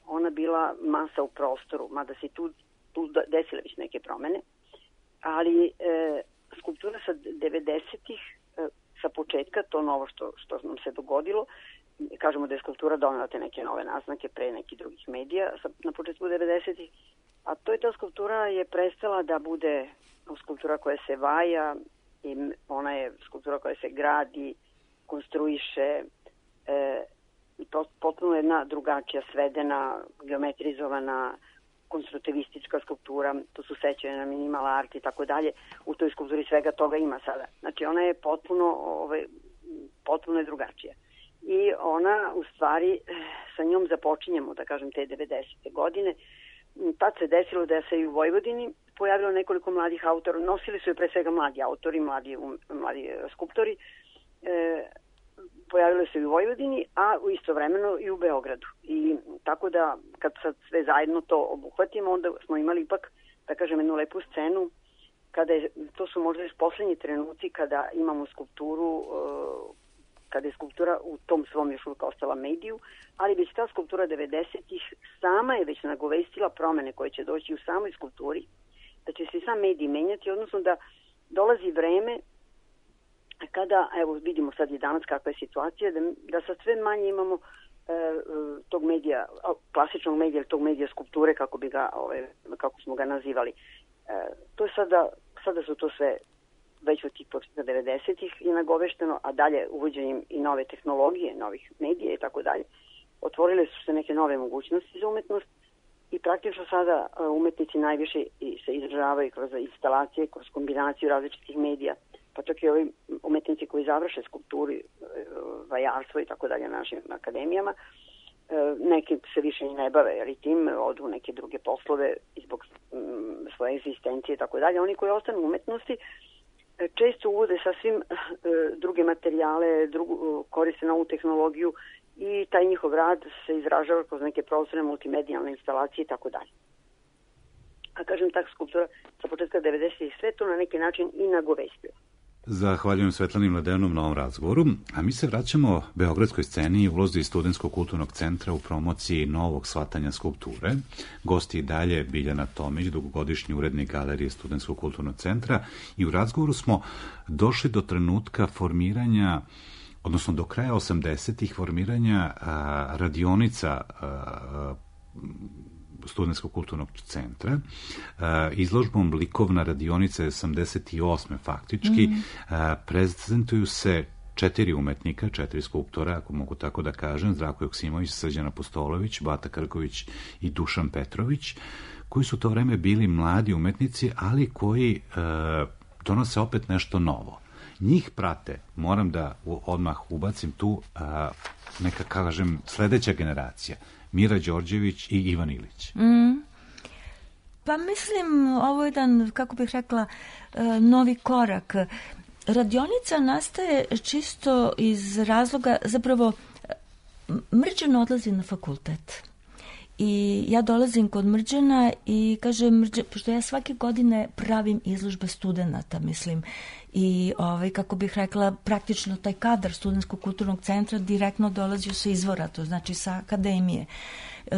ona bila masa u prostoru, mada se tu, tu desile već neke promene, ali skulptura sa devedesetih sa početka, to novo što, što nam se dogodilo, kažemo da je skulptura donela te neke nove naznake pre nekih drugih medija na početku devedesetih, a to je ta skulptura je prestala da bude skulptura koja se vaja i ona je skulptura koja se gradi, konstruiše e, i potpuno jedna drugačija, svedena, geometrizovana, konstruktivistička skulptura, to su sećanja na minimal art i tako dalje, u toj skulpturi svega toga ima sada. Znači ona je potpuno, ove, potpuno je drugačija. I ona, u stvari, sa njom započinjemo, da kažem, te devedesete godine. Tad se desilo da se i u Vojvodini pojavilo nekoliko mladih autora, nosili su je pre svega mladi autori, mladi, mladi skulptori, e, pojavilo se i u Vojvodini, a u istovremeno i u Beogradu. I tako da, kad sad sve zajedno to obuhvatimo, onda smo imali ipak, da kažem, jednu lepu scenu, kada je, to su možda još poslednji trenuci kada imamo skulpturu, kada je skulptura u tom svom još uvijek ostala mediju, ali već ta skulptura devedesetih sama je već nagovestila promene koje će doći u samoj skulpturi, da će se sam medij menjati, odnosno da dolazi vreme kada, evo vidimo sad i danas kakva je situacija, da, da sad sve manje imamo e, tog medija, klasičnog medija, tog medija skulpture, kako bi ga, ove, kako smo ga nazivali. E, to je sada, sada su to sve već od tih početka devedesetih je nagovešteno, a dalje uvođenjem i nove tehnologije, novih medija i tako dalje, otvorile su se neke nove mogućnosti za umetnost i praktično sada umetnici najviše se izražavaju kroz instalacije, kroz kombinaciju različitih medija, pa čak i ovi umetnici koji završe skulpturi, vajarstvo i tako dalje na našim akademijama, neki se više ne bave jer i tim odu neke druge poslove zbog svoje egzistencije i tako dalje. Oni koji ostanu u umetnosti često uvode sasvim druge materijale, drugu, koriste novu tehnologiju i taj njihov rad se izražava kroz neke prostorne multimedijalne instalacije i tako dalje. A kažem, tak skulptura sa početka devedesetih sve to na neki način i nagovestila. Zahvaljujem Svetlani Mladenom na ovom razgovoru, a mi se vraćamo beogradskoj sceni i ulozi Studentskog kulturnog centra u promociji novog shvatanja skulpture. Gosti i dalje Biljana Tomić, dugogodišnji urednik Galerije Studentskog kulturnog centra, i u razgovoru smo došli do trenutka formiranja, odnosno do kraja osamdesetih formiranja a, radionica a, Studentskog kulturnog centra, izložbom Likovna radionica osamdeset osme faktički, mm. prezentuju se četiri umetnika, četiri skulptora, ako mogu tako da kažem, Zdravko Joksimović, Srđan Apostolović, Bata Krković i Dušan Petrović, koji su to vreme bili mladi umetnici, ali koji donose opet nešto novo. Njih prate, moram da odmah ubacim tu, neka kažem, sledeća generacija, Mira Đorđević i Ivan Ilić. Mm. Pa mislim, ovo je jedan, kako bih rekla, novi korak. Radionica nastaje čisto iz razloga, zapravo, Mrđan odlazi na fakultet I ja dolazim kod Mrđana i kaže Mrđan, pošto ja svake godine pravim izložbe studenata, mislim, i ovaj, kako bih rekla, praktično taj kadar Studentskog kulturnog centra direktno dolazi sa izvora, to znači sa akademije. E,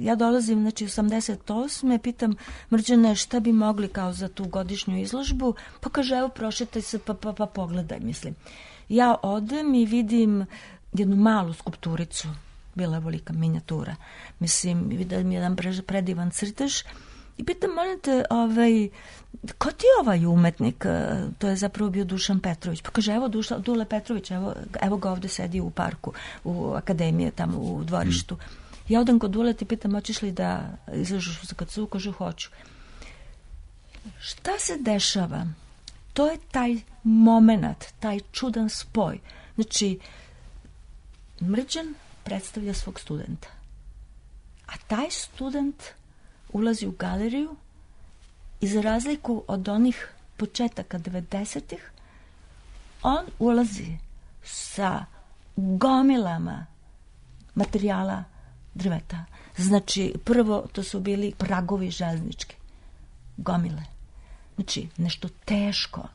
ja dolazim, znači, osamdeset osme pitam Mrđane šta bi mogli kao za tu godišnju izložbu, pa kaže, evo, prošetaj se, pa, pa, pa pogledaj, mislim. Ja odem i vidim jednu malu skulpturicu, bila je velika minijatura. Mislim, vidim jedan predivan crtež i pitam, molim te, ovaj, ko ti je ovaj umetnik? To je zapravo bio Dušan Petrović. Pa kaže, evo Duša, Dule Petrović, evo, evo ga ovde sedi u parku, u akademiji, tamo u dvorištu. Mm. Ja odem kod Dule i pitam, hoćeš li da izlažeš u K C U? Kaže, hoću. Šta se dešava? To je taj moment, taj čudan spoj. Znači, Mrđan predstavlja svog studenta. A taj student ulazi u galeriju i za razliku od onih početaka devedesetih, on ulazi sa gomilama materijala drveta. Znači, prvo to su bili pragovi železnički. Gomile. Znači, nešto teško,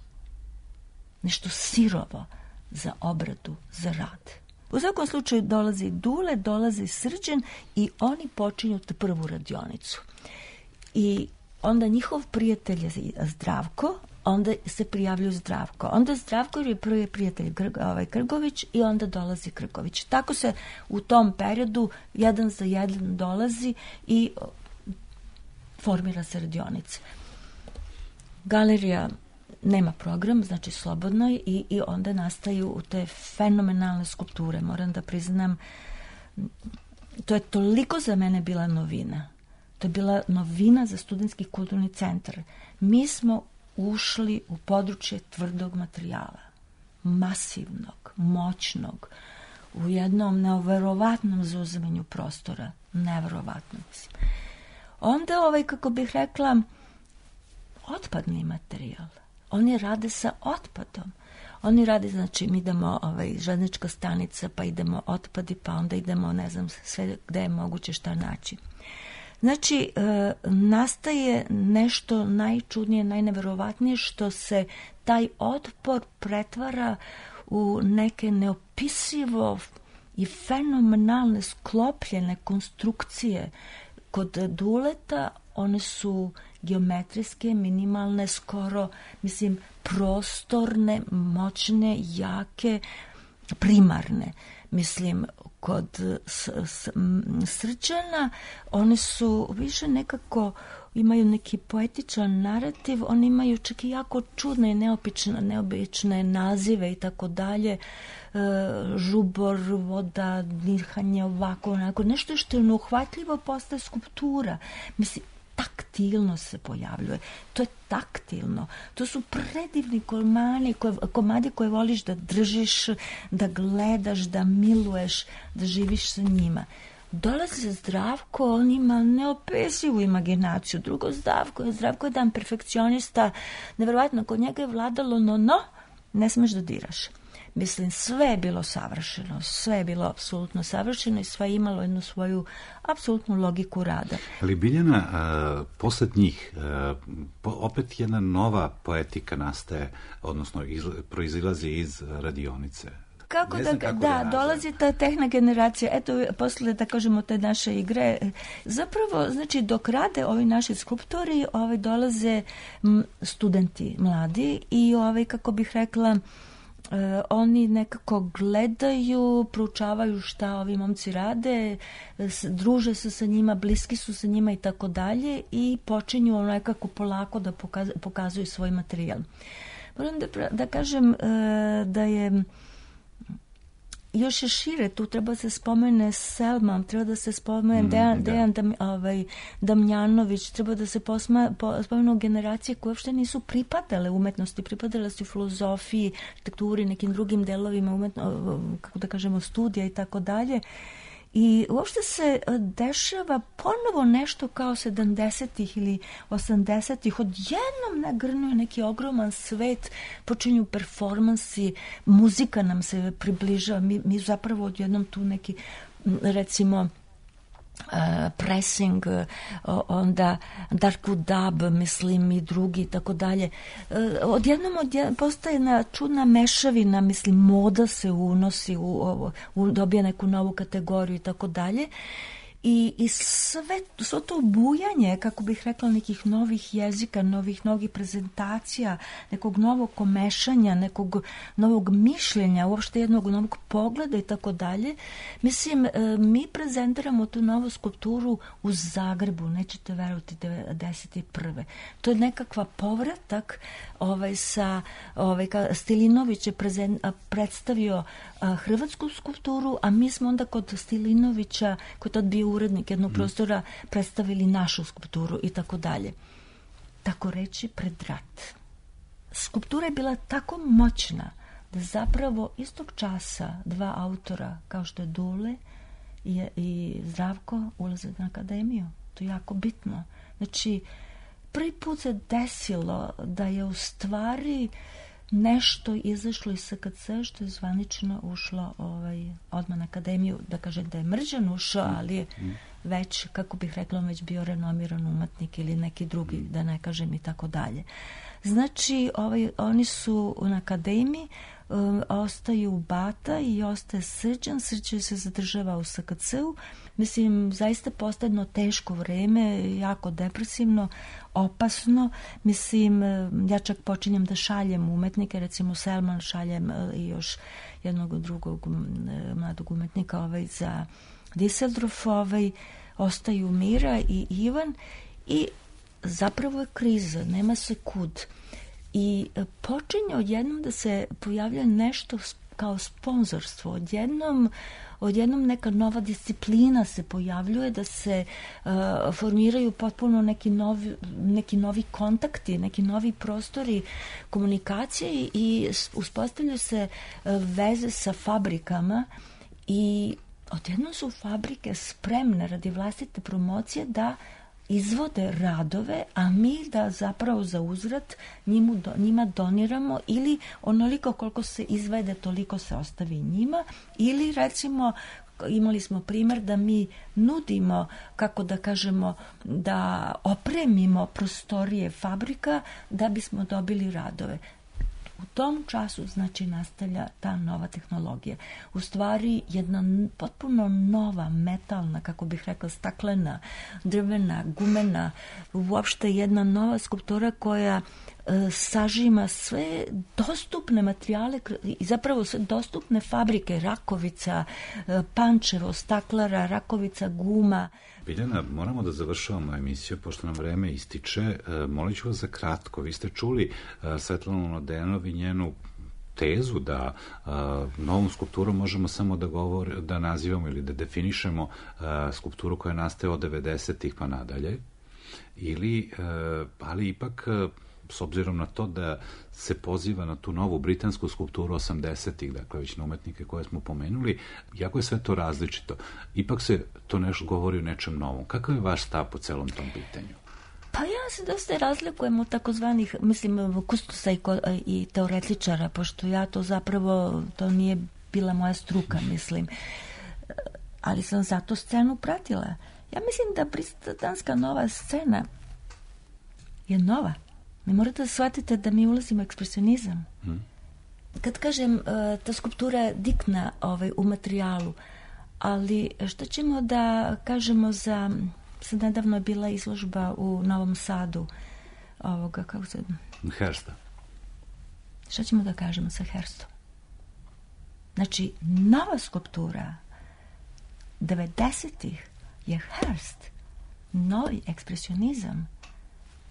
nešto sirovo za obradu, za rad. U svakom slučaju dolazi Dule, dolazi Srđan i oni počinju tu prvu radionicu. I onda njihov prijatelj je Zdravko, onda se prijavljuju Zdravko. Onda Zdravko je prvi prijatelj ovaj, Krgović i onda dolazi Krgović. Tako se u tom periodu jedan za jedan dolazi i formira se radionica. Galerija nema program, znači slobodno je i, i onda nastaju te fenomenalne skulpture. Moram da priznam, to je toliko za mene bila novina. To je bila novina za Studentski kulturni centar. Mi smo ušli u područje tvrdog materijala, masivnog, moćnog, u jednom neverovatnom zauzimanju prostora. Neverovatno, mislim. Onda, ovaj, kako bih rekla, otpadni materijal. Oni rade sa otpadom. Oni rade, znači, mi idemo ovaj, železnička stanica, pa idemo otpadi, pa onda idemo, ne znam, sve gde je moguće šta naći. Znači, e, nastaje nešto najčudnije, najneverovatnije, što se taj otpor pretvara u neke neopisivo i fenomenalne sklopljene konstrukcije. Kod Duleta one su geometrijske, minimalne, skoro, mislim, prostorne, moćne, jake, primarne. Mislim, kod s, s, Srđana one su više nekako, imaju neki poetičan narativ, oni imaju čak i jako čudne i neobične, neobične nazive i tako dalje, žubor, voda, dihanje, ovako, onako, nešto što je neuhvatljivo postaje skulptura. Mislim, taktilno se pojavljuje. To je taktilno. To su predivni komadi koje, komadi koje voliš da držiš, da gledaš, da miluješ, da živiš sa njima. Dolazi Zdravko, on ima neopisivu imaginaciju. Drugo, Zdravko, Zdravko je dan perfekcionista. Neverovatno, kod njega je vladalo no, no, ne smeš da diraš. Mislim, sve je bilo savršeno, sve je bilo apsolutno savršeno i sve je imalo jednu svoju apsolutnu logiku rada. Ali Biljana, a, posled njih, a, po, opet jedna nova poetika nastaje, odnosno iz, proizilazi iz radionice. Kako da, kako da, da dolazi ta tehna generacija, eto, posle, da kažemo, te naše igre, zapravo, znači, dok rade ovi naši skulptori, ovi dolaze m, studenti mladi i ovi, kako bih rekla, Uh, oni nekako gledaju, proučavaju šta ovi momci rade, s, druže se sa njima, bliski su sa njima i tako dalje i počinju nekako polako da pokaz, pokazuju svoj materijal. Moram da, da kažem uh, da je još je šire, tu treba se spomene Selma, treba da se spomene mm, Dejan, da. Dejan Dam, ovaj, Damjanović, treba da se posma, po, spomenu generacije koje uopšte nisu pripadale umetnosti, pripadale su filozofiji, arhitekturi, nekim drugim delovima umetno, kako da kažemo, studija i tako dalje. I uopšte se dešava ponovo nešto kao sedamdesetih ili osamdesetih. Odjednom nagrnuje neki ogroman svet, počinju performansi, muzika nam se približava. Mi, mi zapravo odjednom tu neki, recimo, Uh, pressing, uh, onda Darko Dab, mislim, i drugi, tako dalje. Uh, odjednom odjednom postaje jedna čudna mešavina, mislim, moda se unosi, u, u, dobija neku novu kategoriju i tako dalje. I, i sve, sve to bujanje, kako bih rekla, nekih novih jezika, novih, novih prezentacija, nekog novog komešanja, nekog novog mišljenja, uopšte jednog novog pogleda i tako dalje. Mislim, mi prezentiramo tu novu skulpturu u Zagrebu, nećete verovati, devedeset prve. To je nekakva povratak ovaj, sa, ovaj, Stilinović je prezen, predstavio a, hrvatsku skulpturu, a mi smo onda kod Stilinovića, koji tad bio urednik jednog prostora, predstavili našu skulpturu i tako dalje. Tako reći, pred rat. Skulptura je bila tako moćna da zapravo istog časa dva autora, kao što je Dule i, i Zdravko, ulaze na akademiju. To je jako bitno. Znači, prvi put se desilo da je u stvari nešto izašlo iz S K C što je zvanično ušlo ovaj, odmah na akademiju, da kažem da je Mrđan ušao, ali je već, kako bih rekla, već bio renomiran umetnik ili neki drugi, da ne kažem i tako dalje. Znači, ovaj, oni su na akademiji, um, ostaju Bata i ostaje Srđan. Srđan se zadržava u S K C-u. Mislim, zaista postaje jedno teško vreme, jako depresivno, opasno. Mislim, ja čak počinjem da šaljem umetnike, recimo Selman šaljem i još jednog drugog mladog umetnika ovaj, za Düsseldorf, ovaj, ostaju Mira i Ivan i zapravo je kriza, nema se kud. I počinje odjednom da se pojavlja nešto kao sponzorstvo. Odjednom, odjednom neka nova disciplina se pojavljuje, da se uh, formiraju potpuno neki novi, neki novi kontakti, neki novi prostori komunikacije i, i uspostavljaju se uh, veze sa fabrikama i odjednom su fabrike spremne radi vlastite promocije da izvode radove, a mi da zapravo za uzvrat njimu, njima doniramo ili onoliko koliko se izvede, toliko se ostavi njima, ili recimo imali smo primjer da mi nudimo, kako da kažemo, da opremimo prostorije fabrika da bismo dobili radove. U tom času, znači, nastavlja ta nova tehnologija. U stvari, jedna potpuno nova, metalna, kako bih rekla, staklena, drvena, gumena, uopšte jedna nova skulptura koja e, sažima sve dostupne materijale i zapravo sve dostupne fabrike, Rakovica, e, Pančevo, staklara, Rakovica, guma. Biljana, moramo da završavamo emisiju, pošto nam vreme ističe. E, molit ću vas za kratko. Vi ste čuli e, Svetlanu Mladenov i njenu tezu da e, novom skulpturom možemo samo da, govor, da nazivamo ili da definišemo e, skulpturu koja nastaje od devedesetih pa nadalje, ili, e, ali ipak e, s obzirom na to da se poziva na tu novu britansku skulpturu osamdesetih, dakle već na umetnike koje smo pomenuli, jako je sve to različito. Ipak se to nešto govori o nečem novom. Kakav je vaš stav po celom tom pitanju? Pa ja se dosta razlikujem od takozvanih, mislim, kustosa i, i teoretičara, pošto ja to zapravo, to nije bila moja struka, mislim. Ali sam zato scenu pratila. Ja mislim da britanska nova scena je nova. Mi morate da shvatite da mi ulazimo u ekspresionizam. Hmm. Kad kažem, ta skulptura je diktna ovaj, u materijalu, ali što ćemo da kažemo za... Sad nedavno je bila izložba u Novom Sadu ovoga, kako se... Hersta. Šta ćemo da kažemo sa Herstom? Znači, nova skulptura devedesetih je Herst, novi ekspresionizam,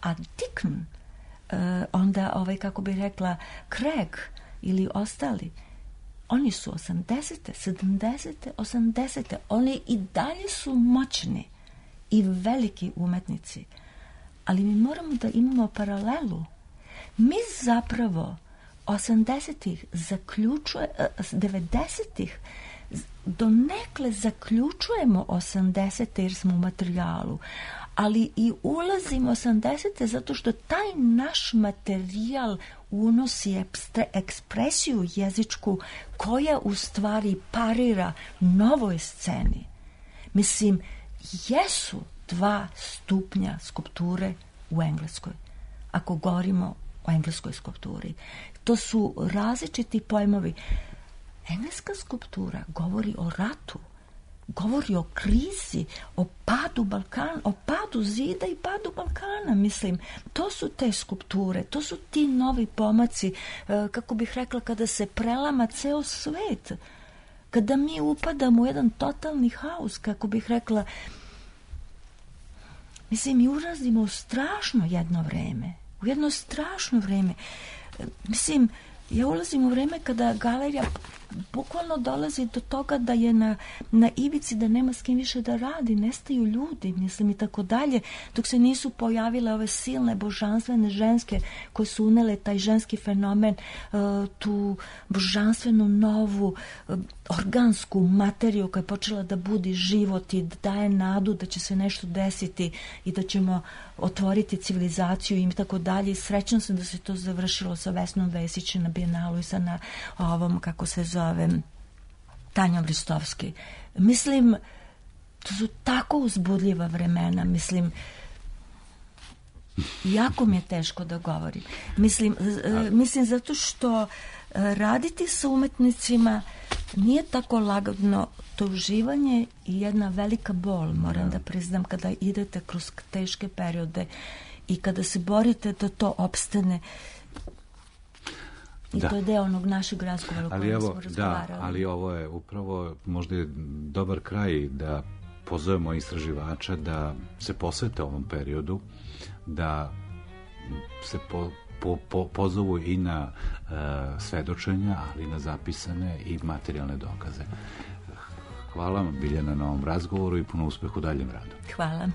a Dickn, uh, onda, ovaj, kako bi rekla, Craig ili ostali, oni su osamdesete, sedamdesete, osamdesete, oni i dalje su moćni i veliki umetnici, ali mi moramo da imamo paralelu. Mi zapravo osamdesetih zaključuje, devedesetih donekle zaključujemo osamdesete jer smo u materijalu, ali i ulazimo osamdesete zato što taj naš materijal unosi ekspresiju jezičku koja u stvari parira novoj sceni. Mislim, jesu dva stupnja skulpture u Engleskoj, ako govorimo o engleskoj skulpturi. To su različiti pojmovi. Engleska skulptura govori o ratu, govori o krizi, o padu Balkana, o padu zida i padu Balkana, mislim. To su te skulpture, to su ti novi pomaci, kako bih rekla, kada se prelama ceo svet, kada mi upadamo u jedan totalni haos, kako bih rekla, mislim, mi ulazimo u strašno jedno vreme, u jedno strašno vreme. Mislim, ja ulazim u vreme kada galerija bukvalno dolazi do toga da je na, na ivici, da nema s kim više da radi, nestaju ljudi, mislim, i tako dalje, dok se nisu pojavile ove silne božanstvene ženske koje su unele taj ženski fenomen, tu božanstvenu novu organsku materiju koja je počela da budi život i da daje nadu da će se nešto desiti i da ćemo otvoriti civilizaciju i tako dalje. Srećna sam da se to završilo sa Vesnom Vesić na Bijenalu i sa na ovom, kako se zove, Tanjom Ristovski. Mislim, to su tako uzbudljiva vremena, mislim, jako mi je teško da govorim. Mislim, mislim zato što raditi sa umetnicima nije tako lagano, to uživanje i jedna velika bol, moram da priznam, kada idete kroz teške periode i kada se borite da to opstane. I da. To je deo onog našeg razgovora o kojem smo razgovarali. Da, ali ovo je upravo možda je dobar kraj da pozovemo istraživača da se posvete ovom periodu, da se po, po, po, pozovu i na uh, svedočenja, ali i na zapisane i materijalne dokaze. Hvala vam, Biljana, na ovom razgovoru i puno uspeha u daljem radu. Hvala.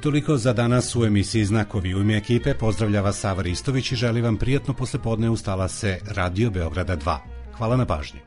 Toliko za danas u emisiji Znakovi. U ime ekipe pozdravlja vas Sava Ristović i želi vam prijatno poslepodne. Ustala se Radio Beograda dva. Hvala na pažnji.